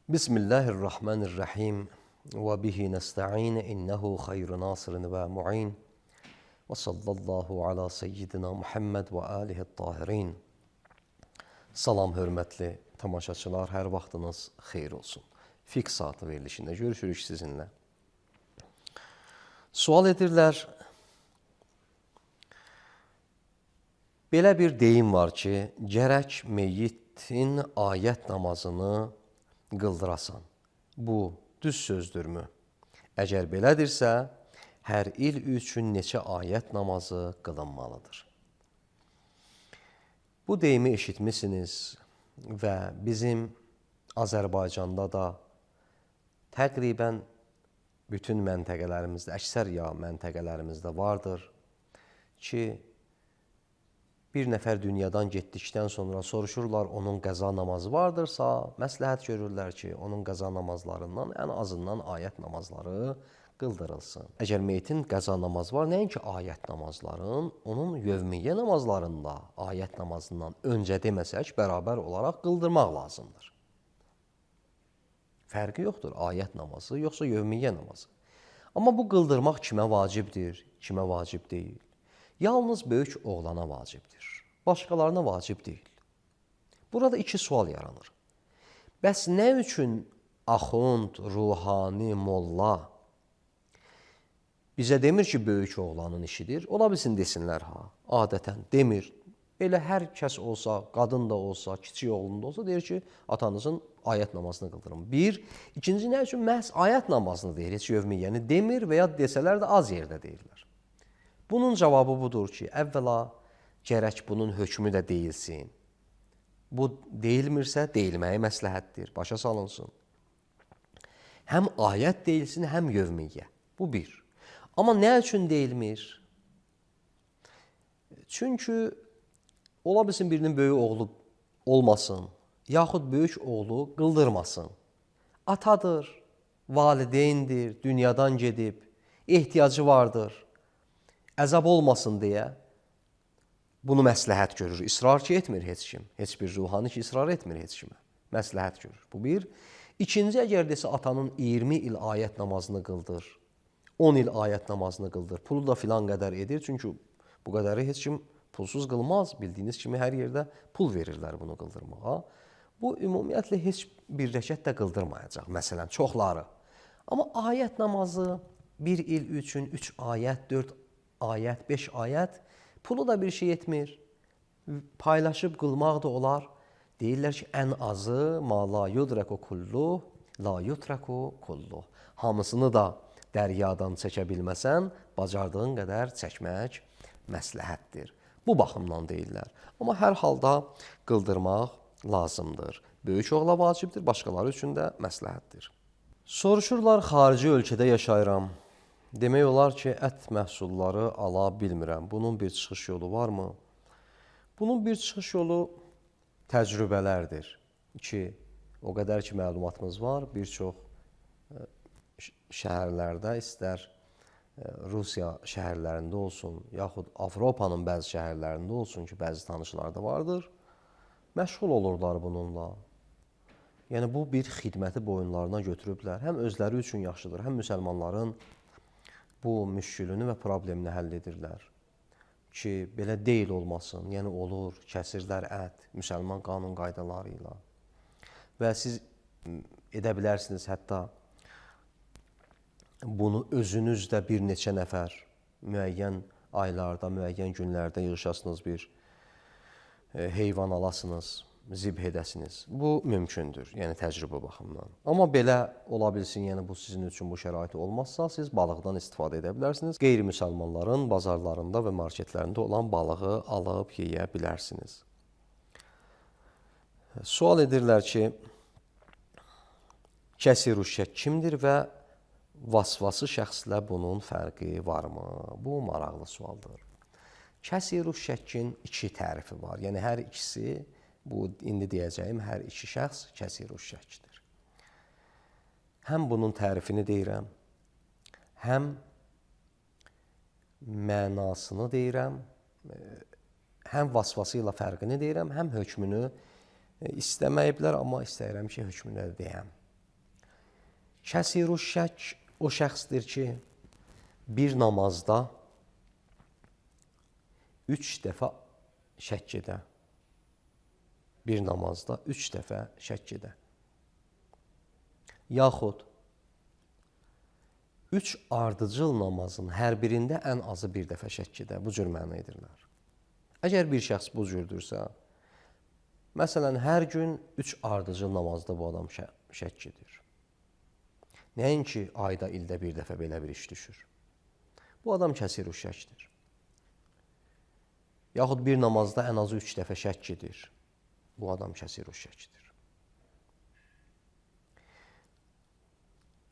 Bismillahirrahmanirrahim ve bihi nesta'in innehu hayru nasirin ve mu'in ve sallallahu ala seyyidina Muhammed ve alihi tahirin. Salam hörmətli tamaşaçılar, hər vaxtınız xeyir olsun. Fiqh saatı verilişində görüşürük sizinlə. Sual edirlər, belə bir deyim var ki, gərək meyyitin ayət namazını qıldırasan. Bu düz sözdürmü? Əgər belədirsə, hər il üçün neçə ayət namazı qılınmalıdır? Bu deyimi eşitmişsiniz və bizim Azərbaycanda da təqribən bütün məntəqələrimizdə, əksər ya məntəqələrimizdə vardır ki, bir nəfər dünyadan getdikdən sonra soruşurlar, onun qəza namazı vardırsa, məsləhət görürlər ki, onun qəza namazlarından ən azından ayət namazları qıldırılsın. Əgər meyitin qəza namazı var, nəinki ayət namazların, onun yevmiyyə namazlarında ayət namazından öncə deməsək, bərabər olaraq qıldırmaq lazımdır. Fərqi yoxdur, ayət namazı, yoxsa yevmiyyə namazı. Amma bu qıldırmaq kimə vacibdir, kimə vacib deyil? Yalnız böyük oğlana vacibdir, başqalarına vacib deyil. Burada iki sual yaranır. Bəs nə üçün axund, ruhani, molla bizə demir ki, böyük oğlanın işidir? Ola bilsin desinlər, adətən demir. Elə hər kəs olsa, qadın da olsa, kiçik oğlun da olsa, deyir ki, atanızın ayət namazını qıldırın. Bir. İkinci, nə üçün məhz ayət namazını deyir, heç yevmiyyəni demir və ya desələr də az yerdə deyirlər. Bunun cavabı budur ki, əvvəla gərək bunun hökmü də deyilsin. Bu deyilmirsə, deyilməyi məsləhətdir, başa salınsın. Həm ayət deyilsin, həm yevmiyyə. Bu bir. Amma nə üçün deyilmir? Çünki ola bilsin birinin böyük oğlu olmasın, yaxud böyük oğlu qıldırmasın. Atadır, valideyndir, dünyadan gedib, ehtiyacı vardır. Əzab olmasın deyə bunu məsləhət görür. İsrar ki, etmir heç kim. Heç bir ruhani ki, israr etmir heç kimə. Məsləhət görür. Bu bir. İkinci, əgər desə atanın 20 il ayət namazını qıldır, 10 il ayət namazını qıldır, pulu da filan qədər edir. Çünki bu qədəri heç kim pulsuz qılmaz. Bildiyiniz kimi hər yerdə pul verirlər bunu qıldırmağa. Bu, ümumiyyətlə, heç bir rəkət də qıldırmayacaq. Məsələn, çoxları. Amma ayət namazı 1 il üçün 3 ayət, 4 ayət, 5 ayət, pulu da bir şey etmir. Paylaşıb qılmaq da olar. Deyirlər ki, ən azı ma la yudrəku kulluh, la yutraku kulluh. Hamısını da dəryadan çəkə bilməsən, bacardığın qədər çəkmək məsləhətdir. Bu baxımdan deyirlər. Amma hər halda qıldırmaq lazımdır. Böyük oğla vacibdir, başqaları üçün də məsləhətdir. Soruşurlar, xarici ölkədə yaşayıram. Demək olar ki, ət məhsulları ala bilmirəm. Bunun bir çıxış yolu varmı? Bunun bir çıxış yolu təcrübələrdir ki, o qədər ki, məlumatımız var, bir çox şəhərlərdə, istər Rusiya şəhərlərində olsun, yaxud Avropanın bəzi şəhərlərində olsun ki, bəzi tanışlar da vardır, məşğul olurlar bununla. Yəni, bu bir xidməti boyunlarına götürüblər. Həm özləri üçün yaxşıdır, həm müsəlmanların bu müşkülünü və problemini həll edirlər ki, belə deyil olmasın, yəni olur, kəsirlər ət, müsəlman qanun qaydaları ilə və siz edə bilərsiniz, hətta bunu özünüz də bir neçə nəfər müəyyən aylarda, müəyyən günlərdə yığışasınız, bir heyvan alasınız, zibh edəsiniz. Bu mümkündür, yəni təcrübə baxımından. Amma belə ola bilsin, yəni bu sizin üçün bu şərait olmazsa, siz balıqdan istifadə edə bilərsiniz. Qeyri-müsəlmanların bazarlarında və marketlərində olan balığı alıb yeyə bilərsiniz. Sual edirlər ki, kəsir-ü şək kimdir və vasvası şəxslə bunun fərqi varmı? Bu maraqlı sualdır. Kəsir-ü şəkin iki tərifi var. Yəni hər ikisi, bu indi deyəcəyim, hər iki şəxs kəsir-ü şəkdir. Həm bunun tərifini deyirəm, həm mənasını deyirəm, həm vasvası ilə fərqini deyirəm, həm hökmünü istəməyiblər, amma istəyirəm ki, hökmünü də deyəm. Kəsiru şək o şəxsdir ki, bir namazda 3 dəfə şəkk edə. Bir namazda 3 dəfə şəkk edə. Yaxud 3 ardıcıl namazın hər birində ən azı bir dəfə şəkk edə. Bu cür məna edirlər. Əgər bir şəxs bu cürdürsə, məsələn, hər gün 3 ardıcıl namazda bu adam şəkk edir. Nəinki ayda, ildə bir dəfə belə bir iş düşür. Bu adam kəsiru şəkdir. Yaxud bir namazda ən azı 3 dəfə şəkk edir. Bu adam kəsiru şəkdir.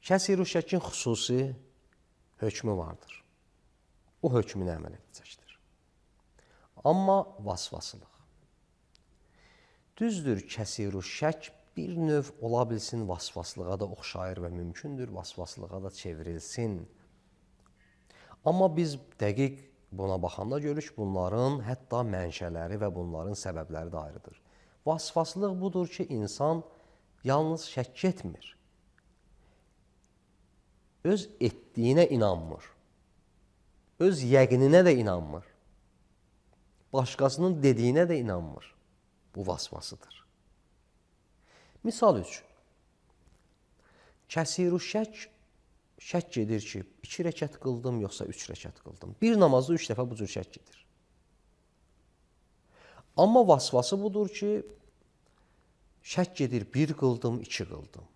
Kəsiru şəkin xüsusi hökmü vardır. O hökmünə əməl edəcəkdir. Amma vasvasılıq. Düzdür, kəsiru şək bir növ ola bilsin vasvaslığa da oxşayır və mümkündür vasvaslığa da çevrilsin. Amma biz dəqiq buna baxanda görürük, bunların hətta mənşələri və bunların səbəbləri də ayrıdır. Vasvaslıq budur ki, insan yalnız şəkk etmir. Öz etdiyinə inanmır. Öz yəqininə də inanmır. Başqasının dediyinə də inanmır. Bu vasvasıdır. Misal üçün, kəsiru şəkk edir ki, 2 rəkət qıldım, yoxsa 3 rəkət qıldım. Bir namazda 3 dəfə bu cür şəkk edir. Amma vasvası budur ki, şəkk edir, 1 qıldım, 2 qıldım.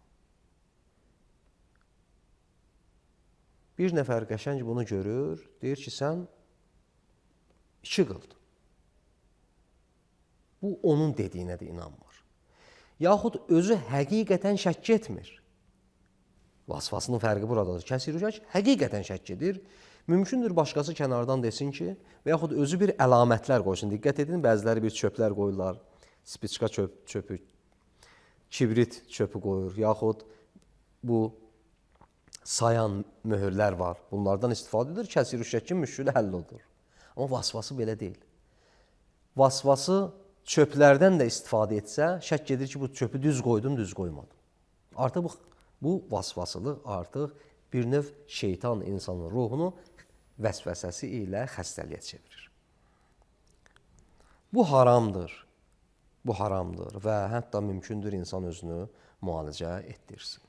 Bir nəfər qəşəng bunu görür, deyir ki, sən 2 qıldın. Bu, onun dediyinə də inanmır. Yaxud özü həqiqətən şəkk etmir. Vasvasının fərqi buradadır. Kəsiru şək həqiqətən şəkk edir. Mümkündür başqası kənardan desin ki, və yaxud özü bir əlamətlər qoysun. Diqqət edin, bəziləri bir çöplər qoyurlar. Spiçka çöpü, kibrit çöpü qoyur. Yaxud bu sayan möhürlər var. Bunlardan istifadə edir. Kəsiru şəkin müşkülü həll olur. Amma vasvası belə deyil. Vasvası çöplərdən də istifadə etsə, şəkk edir ki, bu çöpü düz qoydum, düz qoymadım. Artıq bu vasvasılıq artıq bir növ şeytan insanın ruhunu vəsvəsəsi ilə xəstəliyə çevirir. Bu haramdır. Bu haramdır və hətta mümkündür insan özünü müalicə etdirsin.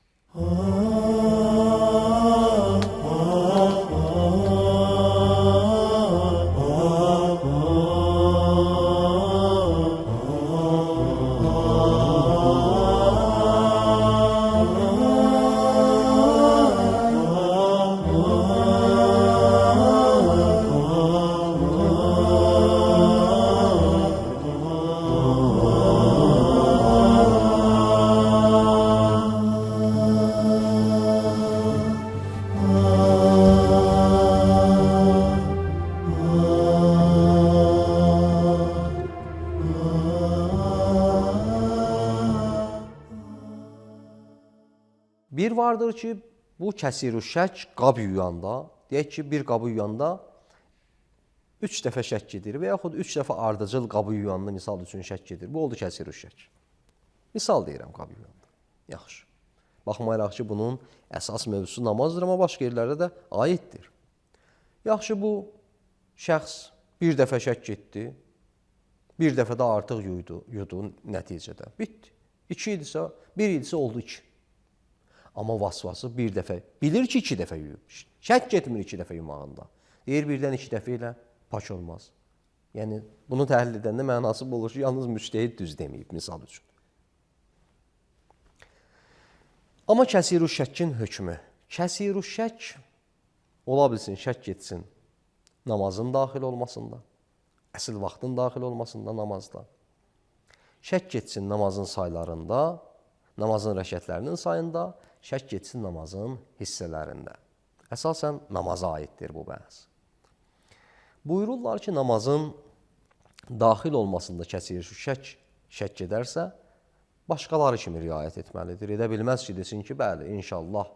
Bir vardır ki, bu kəsiru şək qab yuyanda, deyək ki, bir qabı yuyanda 3 dəfə şəkk edir və yaxud 3 dəfə ardıcıl qabı yuyanda misal üçün şəkk edir. Bu oldu kəsiru şək. Misal deyirəm qabı yuyanda. Yaxşı. Baxmayaraq ki, bunun əsas mövzusu namazdır, amma başqa yerlərdə də aiddir. Yaxşı, bu şəxs bir dəfə şəkk etdi, bir dəfə də artıq yudu nəticədə. Bitdi. 2 idisə, 1 idisə oldu 2. Amma vasvası bir dəfə, bilir ki, 2 dəfə yuyub. Şəkk etmir 2 dəfə yumağında. Deyir, birdən 2 dəfə ilə pak olmaz. Yəni, bunu təhlil edəndə mənası bu olur ki, yalnız müctəhid düz deməyib, misal üçün. Amma kəsiru şəkkin hökmü. Kəsiru şək ola bilsin, şəkk etsin namazın daxil olmasında, əsl vaxtın daxil olmasında namazda. Şəkk etsin namazın saylarında, namazın rəkətlərinin sayında, şəkk etsin namazın hissələrində. Əsasən namaza aiddir bu bəhs. Buyururlar ki, namazın daxil olmasında kəsiru şəkk edərsə, başqaları kimi riayət etməlidir. Edə bilməz ki, desin ki, bəli, inşallah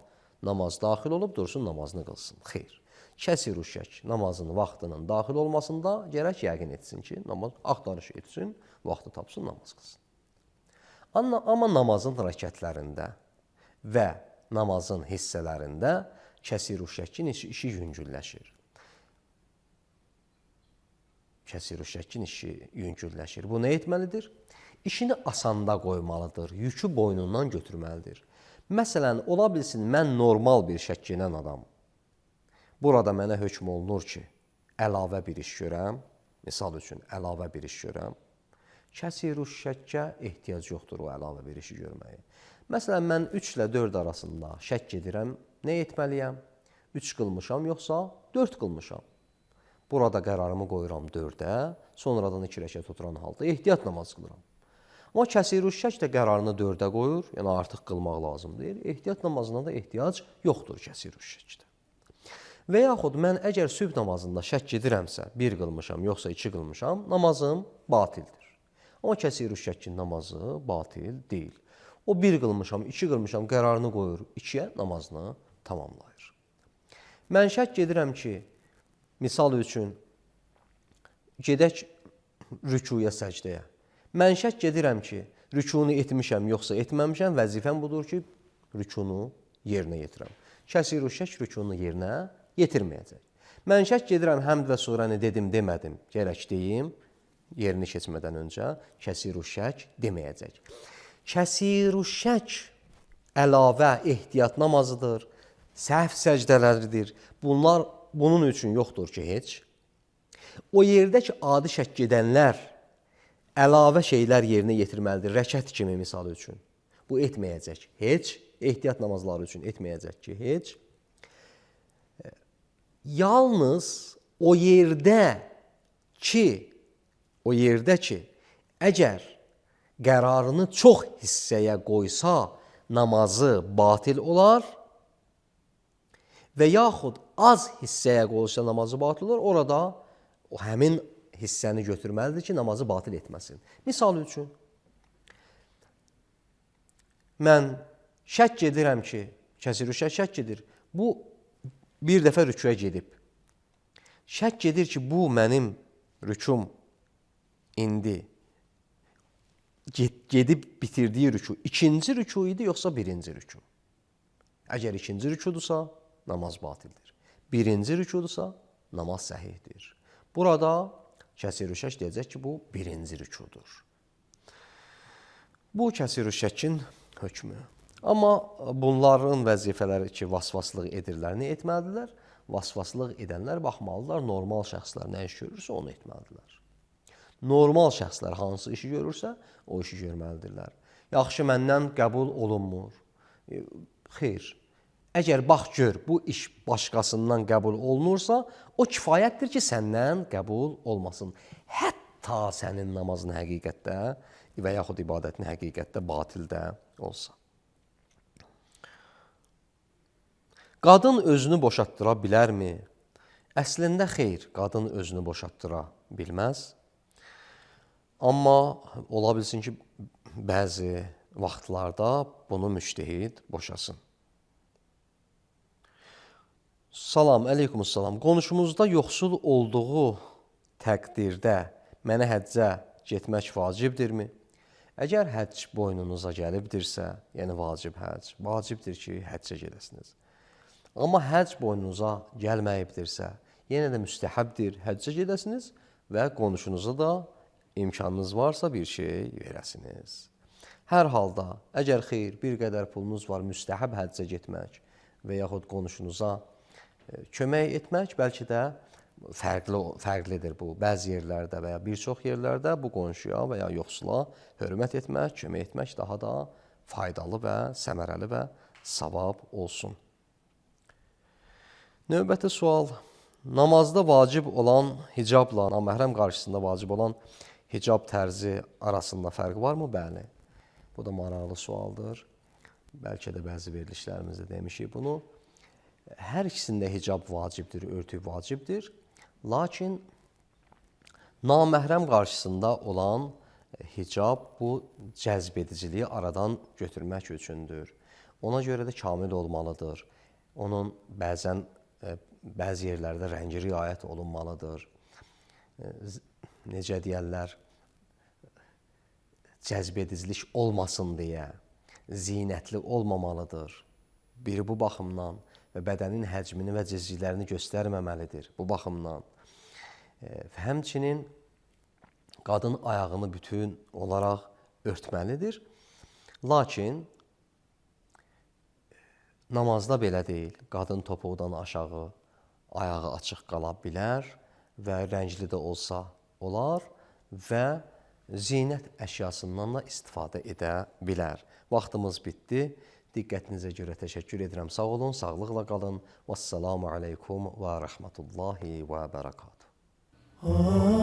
namaz daxil olub, dursun namazını qılsın. Xeyr. Kəsiru şək namazın vaxtının daxil olmasında gərək yəqin etsin ki, namaz axtarış etsin, vaxtı tapsın, namaz qılsın. Amma namazın rəkətlərində və namazın hissələrində kəsir şəkkin işi yüngülləşir. Kəsir şəkkin işi yüngülləşir. Bu nə etməlidir? İşini asanda qoymalıdır, yükü boynundan götürməlidir. Məsələn, ola bilsin, mən normal bir şəkkinən adam. Burada mənə hökm olunur ki, əlavə bir iş görəm, misal üçün əlavə bir iş görəm. Kəsir şəkkə ehtiyac yoxdur o əlavə bir işi görməyə. Məsələn, mən 3 ilə 4 arasında şəkk edirəm, nə etməliyəm? 3 qılmışam, yoxsa 4 qılmışam. Burada qərarımı qoyuram 4-ə, sonradan 2 rəkət oturan halda ehtiyat namaz qılıram. Amma kəsir şəkk də qərarını 4-ə qoyur, yəni artıq qılmaq lazım deyil. Ehtiyat namazına da ehtiyac yoxdur kəsir şəkkdə. Və yaxud mən əgər sübh namazında şəkk edirəmsə, 1 qılmışam, yoxsa 2 qılmışam, namazım batildir. Amma kəsir şəkkin namazı batil deyil. O 1 qılmışam, 2 qılmışam, qərarını qoyur 2-yə, namazını tamamlayır. Mən şəkk edirəm ki, misal üçün, gedək rükuya, səcdəyə. Mən şəkk edirəm ki, rükunu etmişəm, yoxsa etməmişəm, vəzifəm budur ki, rükunu yerinə yetirəm. Kəsir şəkk rükunu yerinə yetirməyəcək. Mən şəkk edirəm, həmd və surəni dedim, demədim, gərək deyim, yerini keçmədən öncə kəsir şəkk deməyəcək. Kəsir şəkk əlavə ehtiyat namazıdır, səhv səcdələridir. Bunun üçün yoxdur ki, heç. O yerdə ki, adi şəkk edənlər əlavə şeylər yerinə yetirməlidir. Rəkət kimi misal üçün. Bu etməyəcək heç. Ehtiyat namazları üçün etməyəcək ki, heç. Yalnız o yerdə ki, əgər qərarını çox hissəyə qoysa, namazı batil olar və yaxud az hissəyə qoysa, namazı batil olar, orada o həmin hissəni götürməlidir ki, namazı batil etməsin. Misal üçün, mən şəkk edirəm ki, kəsir şəkk edir, bu bir dəfə rükuya gedib. Şəkk edir ki, bu mənim rükum indi gedib bitirdiyi rüku ikinci rüku idi, yoxsa birinci rüku? Əgər ikinci rükudursa, namaz batildir. Birinci rükudursa, namaz səhihdir. Burada kəsir şəkk deyəcək ki, bu birinci rükudur. Bu kəsir şəkkin hökmü. Amma bunların vəzifələri ki, vasvaslıq edirlər, nə etməlidirlər? Vasvaslıq edənlər baxmalıdırlar, normal şəxslər nə iş görürsə, onu etməlidirlər. Normal şəxslər hansı işi görürsə, o işi görməlidirlər. Yaxşı, məndən qəbul olunmur. Xeyr. Əgər bax gör, bu iş başqasından qəbul olunursa, o kifayətdir ki, səndən qəbul olmasın. Hətta sənin namazın həqiqətdə və yaxud ibadətin həqiqətdə batildə olsa. Qadın özünü boşatdıra bilərmi? Əslində xeyr, qadın özünü boşatdıra bilməz. Amma ola bilsin ki, bəzi vaxtlarda bunu müştəhid boşasın. Salam, əleykumussalam. Qonşumuzda yoxsul olduğu təqdirdə mənə həccə getmək vacibdirmi? Əgər həcc boynunuza gəlibdirsə, yəni vacibdir ki, həccə gedəsiniz. Amma həcc boynunuza gəlməyibdirsə, yenə də müstəhəbdir, həccə gedəsiniz və qonşunuza da imkanınız varsa bir şey verəsiniz. Hər halda, əgər xeyr, bir qədər pulunuz var, müstəhəb həccə getmək və yaxud qonşunuza kömək etmək, bəlkə də fərqlidir bu. Bəzi yerlərdə və ya bir çox yerlərdə bu qonşuya və ya yoxsula hörmət etmək, kömək etmək daha da faydalı və səmərəli və savab olsun. Növbəti sual, namazda vacib olan hicabla naməhrəm qarşısında vacib olan hicab tərzi arasında fərq varmı? Bəli, bu da maraqlı sualdır. Bəlkə də bəzi verilişlərimizdə demişik bunu. Hər ikisində hicab vacibdir, örtük vacibdir. Lakin naməhrəm qarşısında olan hicab bu cəzb ediciliyi aradan götürmək üçündür. Ona görə də kamil olmalıdır. Onun bəzi yerlərdə rəngi riayət olunmalıdır. Necə deyərlər, cəzb edicilik olmasın deyə zinətli olmamalıdır. biri bu baxımdan və bədənin həcmini və cizgilərini göstərməməlidir bu baxımdan. Həmçinin qadın ayağını bütün olaraq örtməlidir. Lakin namazda belə deyil. Qadın topuqdan aşağı ayağı açıq qala bilər və rəngli də olsa olar və zinət əşyasından da istifadə edə bilər. Vaxtımız bitdi. Diqqətinizə görə təşəkkür edirəm. Sağ olun, sağlıqla qalın. Vəssalamu aleykum və rəhmətullahi və bərəkatuhu.